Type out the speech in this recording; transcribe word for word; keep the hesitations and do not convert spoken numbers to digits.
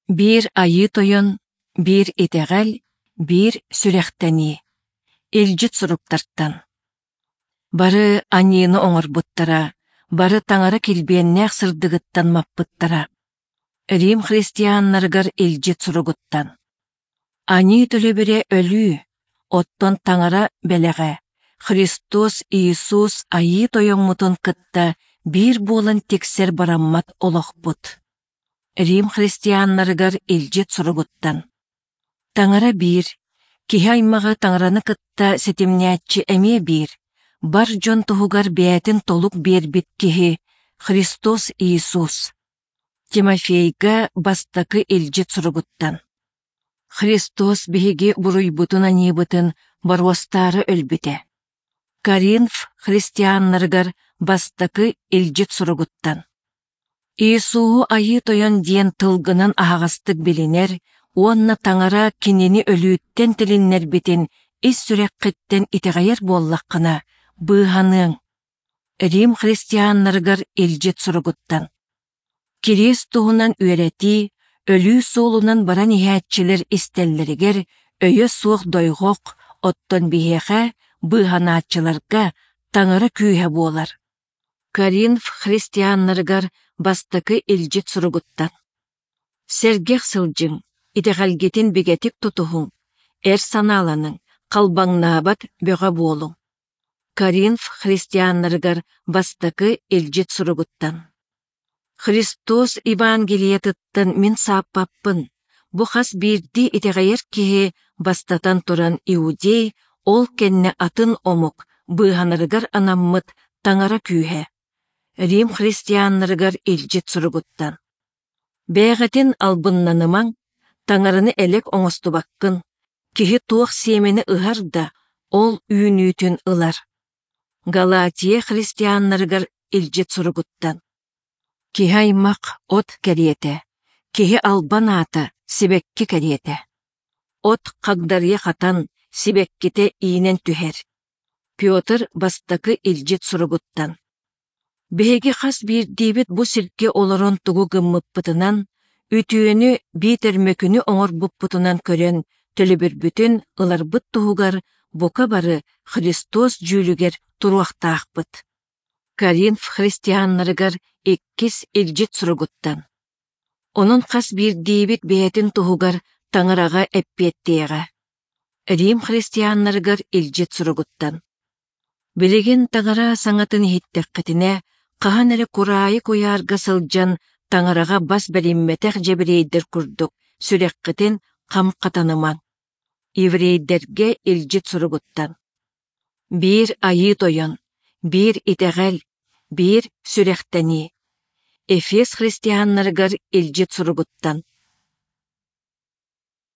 Биир Айыы Тойон, биир итэҕэл, биир сүрэхтэнии. Илдьит суруктартан. Бары аньыыны оҥорбуттара, бары Таҥара килбиэннээх сырдыгыттан маппыттара. Рим христианнарыгар илдьит суругуттан. Аньыы төлөбүрэ өлүү, оттон Таҥара бэлэҕэ, Христос Иисус Айыы Тойоммутун кытта биир буолан тиксэр бараммат олохпут. Рим христианнарыгар илдьит суругуттан. Таҥара биир, киһи аймаҕы Таҥараны кытта ситимнээччи эмиэ биир, бар дьон туһугар бэйэтин толук биэрбит киһи Христос Иисус. Тимофейга бастакы илдьит суругуттан. Христос биһиги буруйбутун-аньыыбытын боруостаары өлбүтэ. Коринф христианнарыгар бастакы илдьит суругуттан. Иисуһу Айыы Тойон диэн тылгынан аһаҕастык билинэр уонна Таҥара кинини өлүүттэн тилиннэрбитин ис сүрэххиттэн итэҕэйэр буоллаххына, быыһаныаҥ. Рим христианнарыгар илдьит суругуттан. Кириэс туһунан үөрэтии, өлүү суолунан баран иһээччилэр истэллэригэр өйө суох дойҕох, оттон биһиэхэ, быыһанааччыларга, Таҥара күүһэ буолар. Коринф христианнарыгар бастакы илдьит суругуттан. Сэргэх сылдьыҥ, итэҕэлгитин бигэтик тутуһуҥ, эр санааланыҥ, халбаҥнаабат бөҕө буолуҥ. Коринф христианнарыгар бастакы илдьит суругуттан. Христос Евангелиетыттан мин сааппаппын, бу хас биирдии итэҕэйэр киһи бастатан туран иудей, ол кэннэ атын омук быыһанарыгар анаммыт Таҥара күүһэ. Рим христианнарыгар илдьит суругуттан. Бэйэҕитин албыннанымаҥ, Таҥараны элэк оҥостубаккын, киһи туох сиэмэни ыһар да, ол үүнүүтүн ылар. Галатия христианнарыгар илдьит суругуттан. Киһи аймах от кэриэтэ, киһи албан аата сибэкки кэриэтэ. От хагдарыйа хатан, сибэккитэ иинэн түһэр. Петр бастакы илдьит суругуттан. Биһиги хас биирдиибит бу сиргэ олорон тугу гыммыппытынан, үтүөнү биитэр мөкүнү оҥорбуппутунан көрөн төлөбүрбүтүн ыларбыт туһугар бука бары Христос дьүүлүгэр туруохтаахпыт. Коринф христианнарыгар иккис илдьит суругуттан. Онон хас биирдиибит бэйэтин туһугар Таҥараҕа эппиэттиэҕэ. Рим христианнарыгар илдьит суругуттан. Билигин Таҥара саҥатын иһиттэххитинэ, хаһан эрэ кураайы куйаарга сылдьан Таҥараҕа бас бэриммэтэх дьэбириэйдэр курдук сүрэххитин хам хатанымаҥ. Еврейдэргэ илдьит суругуттан. Биир Айыы Тойон, биир итэҕэл, биир сүрэхтэнии. Эфес христианнарыгар илдьит суругуттан.